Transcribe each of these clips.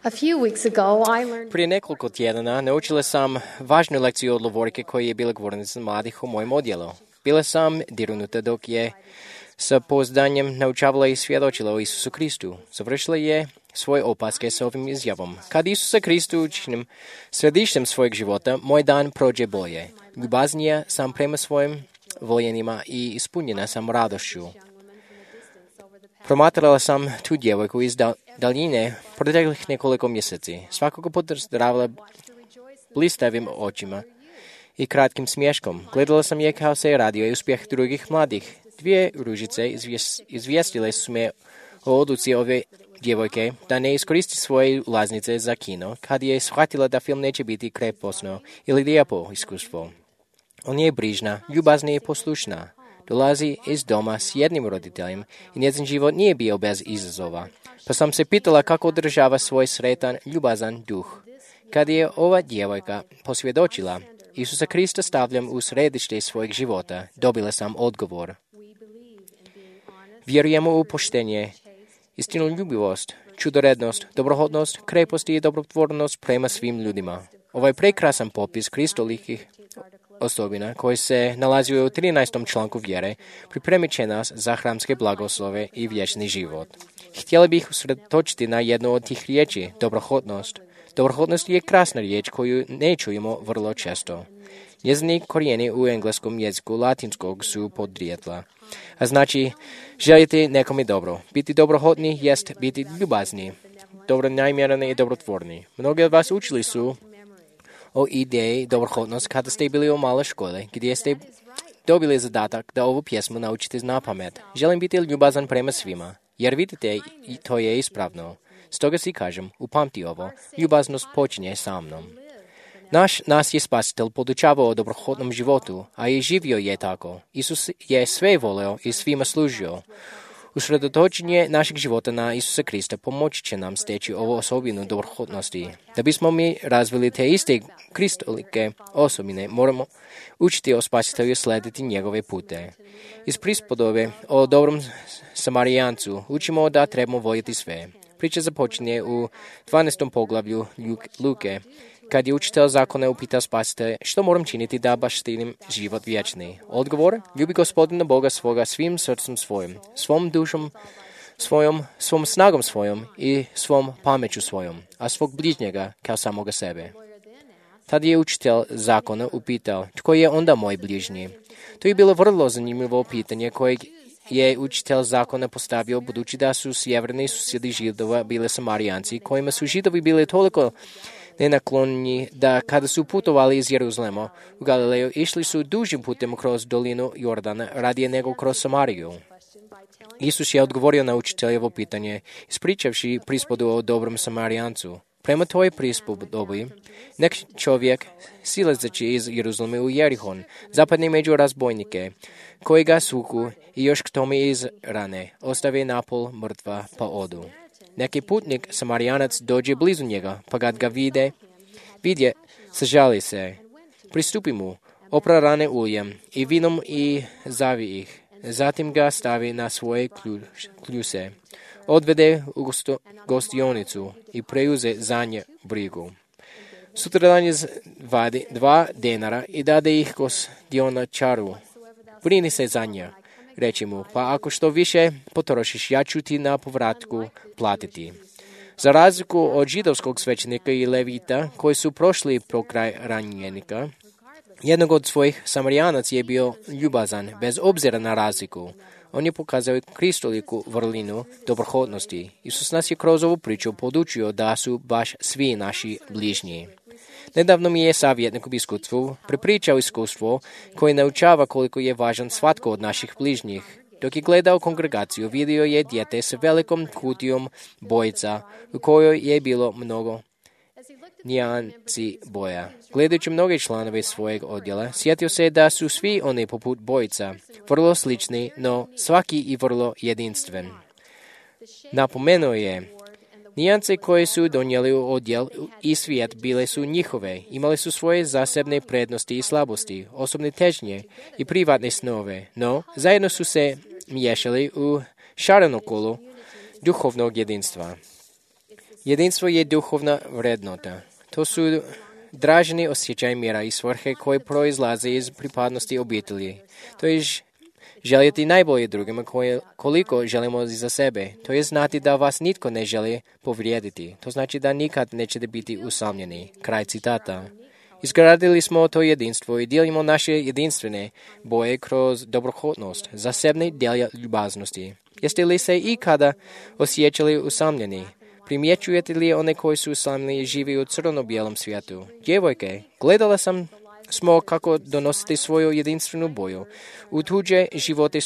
A few weeks ago, I learned Prije nekoliko tjedana naučila sam važnu lekciju od Lovorike koja je bila govornica mladih u mojem odjelu. Bila sam dirnuta dok je sa pouzdanjem naučavala i svjedočila o Isusu Kristu. Završila je svoje opaske s ovim izjavom. Kad Isusa Kristu učinim središtem svojeg života, moj dan prođe bolje. Ljubaznija sam prema svojim voljenima i ispunjena sam radošću. Promatrala sam tu djevojku iz daljine proteklih nekoliko mjeseci. Svakako pozdravila blistavim očima i kratkim smješkom. Gledala sam je kao se je radio i uspjeh drugih mladih. Dvije ružice izvijestile su me o odluci ove djevojke da ne iskoristi svoje ulaznice za kino, kad je shvatila da film neće biti kreposno ili lijepo iskustvo. On je brižna, ljubazna i poslušna. Dolazi iz doma s jednim roditeljem i njezin život nije bio bez izazova. Pa sam se pitala kako održava svoj sretan, ljubazan duh. Kad je ova djevojka posvjedočila, Isusa Krista stavljam u središte svojeg života, dobila sam odgovor. Vjerujemo u poštenje, istinoljubivost, čudorednost, dobrohodnost, krepost i dobrotvornost prema svim ljudima. Ovaj prekrasan popis kristolikih osobina koji se nalazi u 13. članku vjere pripremit će nas za hramske blagoslove i vječni život. Htjela bih usredotočiti na jednu od tih riječi, dobrohodnost. Dobrohodnost je krasna riječ koju ne čujemo vrlo često. Njezini korijeni u engleskom jeziku latinskog su podrijetla, a znači želiti nekome dobro. Biti dobrohodni jest biti ljubazni, dobronamjerni i dobrotvorni. Mnogi od vas učili su o ideji dobrohodnost kada ste bili u maloj školi, gdje ste dobili zadatak da ovu pjesmu naučite na pamet. Želim biti ljubazan prema svima, jer vidite, to je ispravno. Stoga si kažem, upamti ovo, ljubaznost počinje sa mnom. Nas je spasitelj podučavao o dobrohodnom životu, a i živio je tako. Isus je sve voleo i svima služio. Usredotočenje našeg života na Isusa Krista pomoći će nam steći ovu osobinu dobrohodnosti. Da bismo mi razvili te iste kristolike osobine, moramo učiti o spasitelju slediti njegove pute. Iz prispodobe o dobrom Samarijancu učimo da trebamo voljeti sve. Priča započinje u 12. poglavlju Luke, kad je učitelj zakona upitao spasitelja što moram činiti da baštinim život vječni. Odgovor, ljubi Gospodina Boga svoga svim srcem svojim, svom dušom svojom, svom snagom svojom i svom pameću svojom, a svog bližnjega kao samoga sebe. Tad je učitelj zakona upitao, tko je onda moj bližnji? To je bilo vrlo zanimljivo pitanje kojeg je učitelj zakona postavio budući da su sjeverni susjedi Židova bile Samarijanci, kojima su Židovi bili toliko nenaklonjeni da kada su putovali iz Jeruzalema u Galileju, išli su dužim putem kroz dolinu Jordana radije nego kroz Samariju. Isus je odgovorio na učiteljevo pitanje, ispričavši prispodu o dobrom Samarijancu. Prema toj prispodobi, nek čovjek, silazeći iz Jeruzalema u Jerihon, zapadne među razbojnike, koji ga suku i još k tome iz rane, ostave napol mrtva pa odu. Neki putnik, Samarijanac, dođe blizu njega, pa kad ga vidje, sažali se. Pristupi mu, opra rane uljem i vinom i zavi ih. Zatim ga stavi na svoje kljuse. Odvede u gostionicu i preuze za nje brigu. Sutradan je vadi 2 denara i dade ih gostionačaru. Brini se za nje, reći mu, pa ako što više potrošiš, ja ću ti na povratku platiti. Za razliku od židovskog svećenika i levita, koji su prošli pokraj ranjenika, jednog od svojih Samarijanac je bio ljubazan, bez obzira na razliku. On je pokazao kristoliku vrlinu dobrohodnosti. Isus nas je kroz ovu priču podučio da su baš svi naši bližnji. Nedavno mi je savjetnik u biskupstvu prepričao iskustvo koje naučava koliko je važan svatko od naših bližnjih. Dok je gledao kongregaciju, vidio je dijete s velikom kutijom bojica u kojoj je bilo mnogo nijansi boja. Gledajući mnoge članove svojeg odjela, sjetio se da su svi oni poput bojica, vrlo slični, no svaki i vrlo jedinstven. Napomenuo je, nijance koje su donijeli u odjel i svijet bile su njihove, imali su svoje zasebne prednosti i slabosti, osobne težnje i privatne snove, no zajedno su se miješali u šarenu kolu duhovnog jedinstva. Jedinstvo je duhovna vrednota. To su draženi osjećaj mira i svrhe koji proizlaze iz pripadnosti obitelji. To je željeti najbolje drugima koliko želimo za sebe. To je znati da vas nitko ne želi povrijediti. To znači da nikad nećete biti usamljeni. Kraj citata. Izgradili smo to jedinstvo i dijelimo naše jedinstvene boje kroz dobrohotnost, zasebne djelja ljubaznosti. Jeste li se ikada osjećali usamljeni? Primjećujete li one koji su usamljeni i živi u crno-bijelom svijetu? Djevojke, gledala smo kako donosite svoju jedinstvenu boju u tuđe živote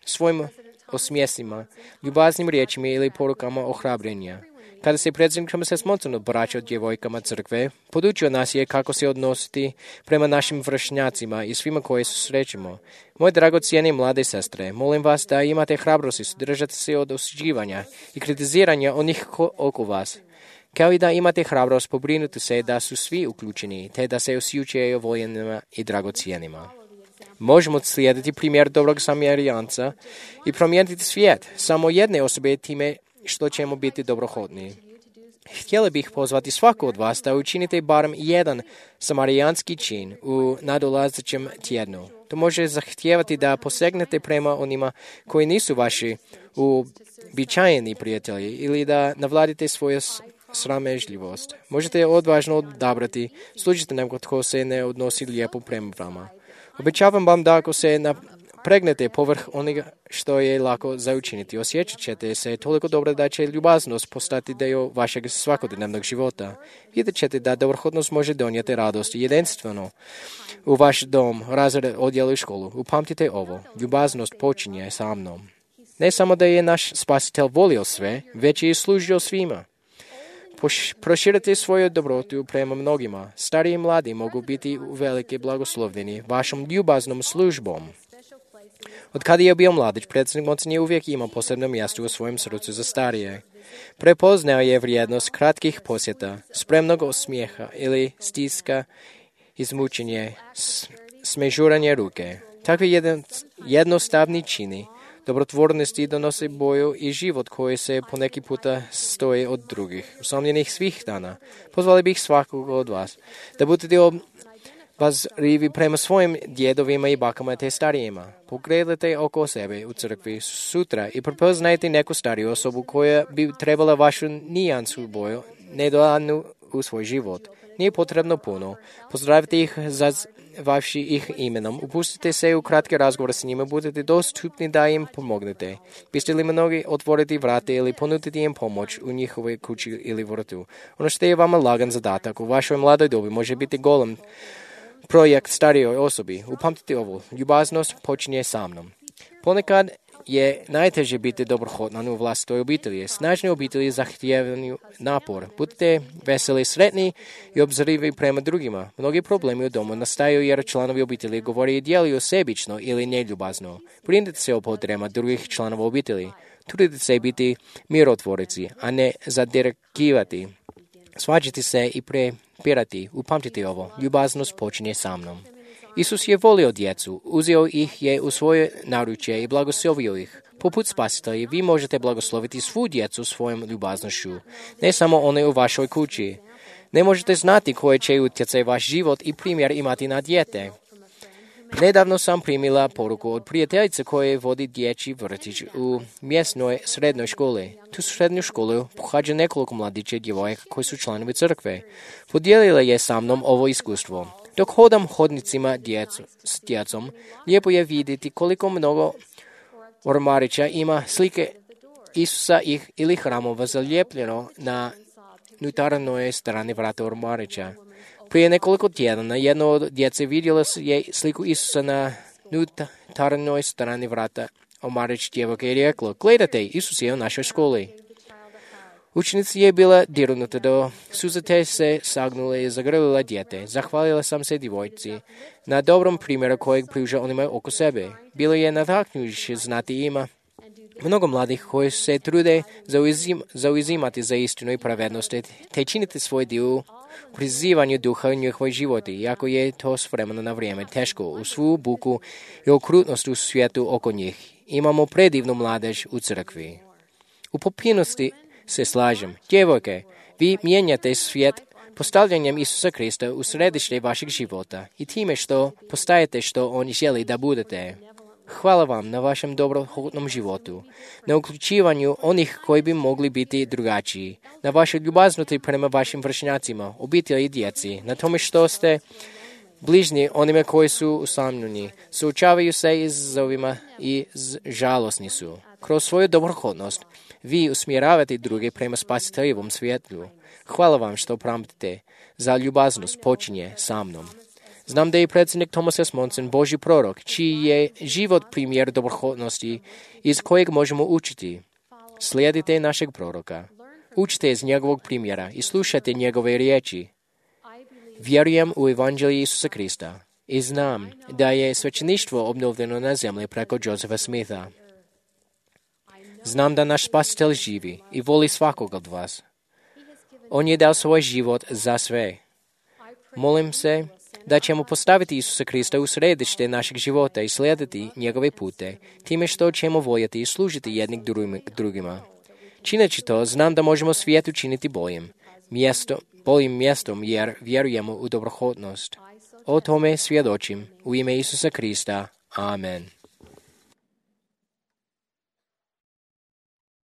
svojim osmjesima, ljubaznim riječima ili porukama ohrabrenja. Kada se predsjednik Thomas Monson obraćao djevojkama crkve, podučio nas je kako se odnositi prema našim vršnjacima i svima koje susrećemo. Moje dragocijene mlade sestre, molim vas da imate hrabrosti držati se od osuđivanja i kritiziranja onih oko vas, kao i da imate hrabrost pobrinuti se da su svi uključeni, te da se osjećaju voljenima i dragocijenima. Možemo slijediti primjer dobrog Samarijanca i promijeniti svijet samo jedne osobe time što ćemo biti dobrohotni. Htjela bih pozvati svaku od vas da učinite barem jedan samarijanski čin u nadolazećem tjednu. To može zahtijevati da posegnete prema onima koji nisu vaši uobičajeni prijatelji ili da navladite svoju sramežljivost. Možete odvažno odabrati, služite nekom tko se ne odnosi lijepo prema vama. Obećavam vam da ako se pregnete povrh onoga što je lako za učiniti, osjećat ćete se toliko dobro da će ljubaznost postati dio vašeg svakodnevnog života. Vidjet ćete da dobrohotnost može donijeti radost i jedinstveno u vaš dom, razred, odjel i školu. Upamtite ovo, ljubaznost počinje sa mnom. Ne samo da je naš spasitelj volio sve, već je i služio svima. Proširite svoju dobrotu prema mnogima. Stari i mladi mogu biti velike blagoslovljeni vašom ljubaznom službom. Od kada je bio mladić, predsjednik Monson je uvijek imao posebno mjesto u svojem srcu za starije. Prepoznao je vrijednost kratkih posjeta, spremnog osmijeha ili stiska, izmučenje, smežuranje ruke. Takvi jednostavni čini dobrotvornosti donose boju i život koji se poneki puta stoji od drugih, usamljenih svih dana. Pozvali bih svakog od vas da budete obazrivi prema svojim djedovima i bakama te starijima. Pogledajte oko sebe u crkvi sutra i prepoznajte neku stariju osobu koja bi trebala vašu nijansu boju nedodanu u svoj život. Nije potrebno puno. Pozdravite ih za vaši ih imenom. Upustite se u kratke razgovore s njima, budete dostupni da im pomognete. Biste li mnogi otvoriti vrate ili ponuditi im pomoć u njihovoj kući ili vrtu? Ono što je vama lagan zadatak u vašoj mladoj dobi može biti golem projekt starijoj osobi. Upamtite ovo, ljubaznost počinje sa mnom. Ponekad je najteže biti dobrohotan u vlastitoj obitelji. Snažne obitelji zahtijevaju napor. Budite veseli, sretni i obzrivi prema drugima. Mnogi problemi u domu nastaju jer članovi obitelji govore i djeluju sebično ili neljubazno. Brinite se o potrebama drugih članova obitelji. Trudite se biti mirotvorici, a ne zadirigirati. Svađati se i prepirati. Upamtite ovo, ljubaznost počinje sa mnom. Isus je volio djecu, uzeo ih je u svoje naručje i blagoslovio ih. Poput spasitelja, vi možete blagosloviti svu djecu svojom ljubaznošću, ne samo one u vašoj kući. Ne možete znati koje će utjecaj vaš život i primjer imati na dijete. Nedavno sam primila poruku od prijateljice koje vodi dječji vrtić u mjesnoj srednjoj školi. Tu srednju školu pohađa nekoliko mladića i djevojaka koji su članovi crkve. Podijelila je sa mnom ovo iskustvo. Dok hodam hodnicima s djecom, lijepo je vidjeti koliko mnogo ormarića ima slike Isusa ili hramova zalijepljeno na unutarnjoj strani vrata ormarića. Prije nekoliko tjedana jedno od djece vidjela je sliku Isusa na unutarnjoj strani vrata ormarić djevojke i rekla: "Gledajte, Isus je u našoj školi." Učenici je bila dirnuta do suza te se sagnula i zagrlila dijete. Zahvalila sam se djevojci na dobrom primjeru kojeg pruža onima oko sebe. Bilo je nataknujuće znati ima mnogo mladih koji se trude zauzimati za istinu i pravednost, te činiti svoj dio u prizivanju duha u njihovoj životi, iako je to s vremena na vrijeme teško u svu buku i okrutnost u svijetu oko njih. Imamo predivnu mladež u crkvi. U potpunosti se slažem. Djevojke, vi mijenjate svijet postavljanjem Isusa Krista u središte vašeg života i time što postajete što On želi da budete. Hvala vam na vašem dobrohotnom životu, na uključivanju onih koji bi mogli biti drugačiji, na vašoj ljubaznosti prema vašim vršnjacima, obitelji i djeci, na tome što ste bližnji onima koji su usamljeni, suočavaju se izazovima i žalosni su. Kroz svoju dobrohotnost vi usmjeravate druge prema spasiteljevom svijetu. Hvala vam što pamtite. Za ljubaznost počinje sa mnom. Znam da je predsjednik Thomas S. Monson Božji prorok, čiji je život primjer dobrohotnosti iz kojeg možemo učiti. Slijedite našeg proroka. Učite iz njegovog primjera i slušajte njegove riječi. Vjerujem u evanđelje Isusa Krista i znam da je svećeništvo obnovljeno na zemlji preko Josepha Smitha. Znam da naš spasitelj živi i voli svakog od vas. On je dao svoj život za sve. Molim se da ćemo postaviti Isusa Krista u središte našeg života i slijediti njegove pute, time što ćemo voljeti i služiti jednih drugima. Čineći to, znam da možemo svijet učiniti boljim mjestom jer vjerujemo u dobrohotnost. O tome svjedočim u ime Isusa Krista. Amen.